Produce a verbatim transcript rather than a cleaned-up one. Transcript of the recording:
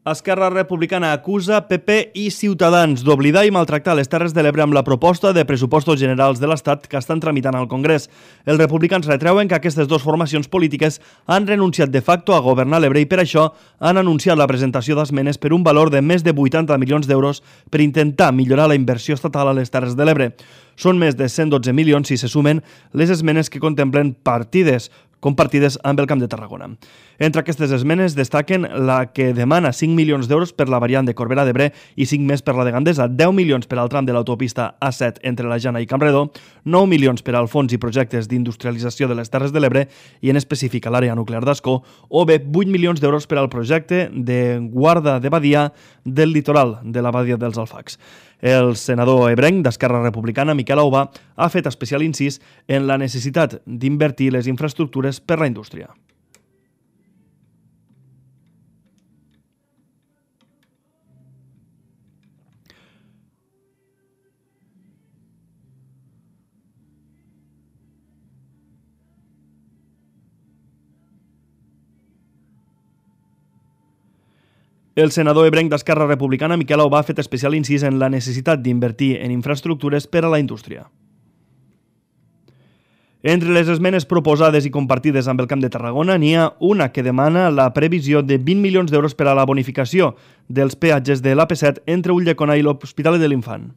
Esquerra Republicana acusa P P i Ciutadans d'oblidar i maltractar les Terres de l'Ebre amb la proposta de pressupostos generals de l'Estat que estan tramitant al Congrés. Els republicans retreuen que aquestes dues formacions polítiques han renunciat de facto a governar l'Ebre i per això han anunciat la presentació d'esmenes per un valor de més de vuitanta milions d'euros per intentar millorar la inversió estatal a les Terres de l'Ebre. Són més de cent dotze milions si se sumen les esmenes que contemplen partides compartides amb el Camp de Tarragona. Entre aquestes esmenes destaquen la que demana cinc milions d'euros per la variant de Corbera d'Ebre i cinc més per la de Gandesa, deu milions per al tram de l'autopista A set entre la Jana i Campredó, nou milions per al fons i projectes d'industrialització de les Terres de l'Ebre i en específic a l'àrea nuclear d'Ascó, o bé vuit milions d'euros per al projecte de guarda de badia del litoral de la badia dels Alfacs. El senador ebrenc d'Esquerra Republicana, Miquel Aubà, ha fet especial incís en la necessitat d'invertir les infraestructures per la indústria. El senador ebrenc d'Esquerra Republicana, Miquel Aubà, ha fet especial incís en la necessitat d'invertir en infraestructures per a la indústria. Entre les esmenes proposades i compartides amb el Camp de Tarragona n'hi ha una que demana la previsió de vint milions d'euros per a la bonificació dels peatges de l'A P set entre Ulldecona i l'Hospitalet de l'Infant.